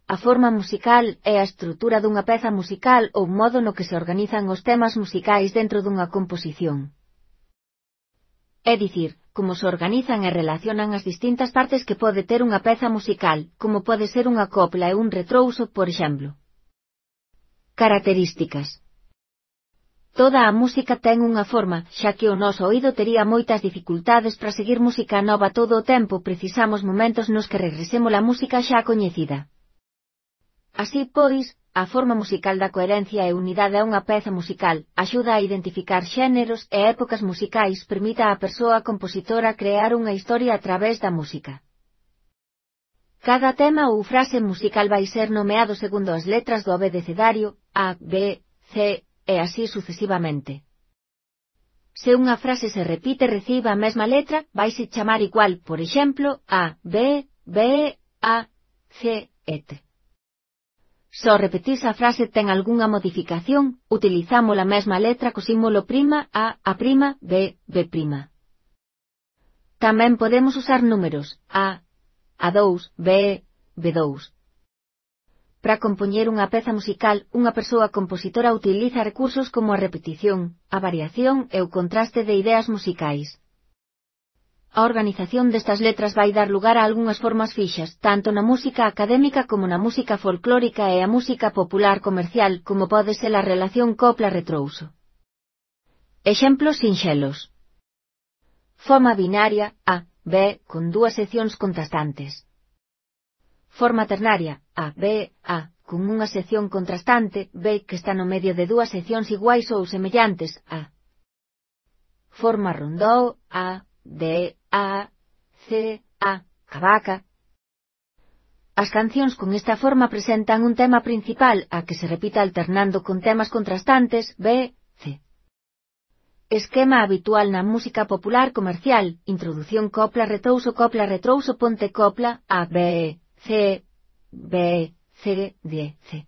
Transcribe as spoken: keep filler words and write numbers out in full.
A forma musical é a estrutura dunha peza musical ou modo no que se organizan os temas musicais dentro dunha composición. É dicir, como se organizan e relacionan as distintas partes que pode ter unha peza musical, como pode ser unha copla e un retrouso, por exemplo. Características. Toda a música ten unha forma, xa que o noso oído tería moitas dificultades para seguir música nova todo o tempo, precisamos momentos nos que regresemos a música xa coñecida. Así pois, a forma musical da coherencia e unidade a unha peza musical, axuda a identificar xéneros e épocas musicais, permite á persoa compositora crear unha historia a través da música. Cada tema ou frase musical vai ser nomeado segundo as letras do abecadario, A, B, C, e así sucesivamente. Se unha frase se repite e recibe a mesma letra, vaise chamar igual, por exemplo, A, B, B, A, C, et cetera. Se ao repetirse a frase ten algunha modificación, utilizamos a mesma letra co símbolo prima A, A prima, B, B prima. Tamén podemos usar números, A, A dous, B, B dous. Para compoñer unha peza musical, unha persoa compositora utiliza recursos como a repetición, a variación e o contraste de ideas musicais. A organización destas letras vai dar lugar a algunhas formas fixas, tanto na música académica como na música folclórica e a música popular comercial, como pode ser a relación copla-retrouso. Exemplos sinxelos. Forma binaria, A, B, con dúas seccións contrastantes. Forma ternaria, A, B, A, con unha sección contrastante, B, que está no medio de dúas seccións iguais ou semellantes, A. Forma rondó, A, D, A, C, A, cavaca. As cancións con esta forma presentan un tema principal, A, que se repite alternando con temas contrastantes, B, C. Esquema habitual na música popular comercial, introdución copla-retrouso copla-retrouso ponte copla, A, B, C, B, C, D, C.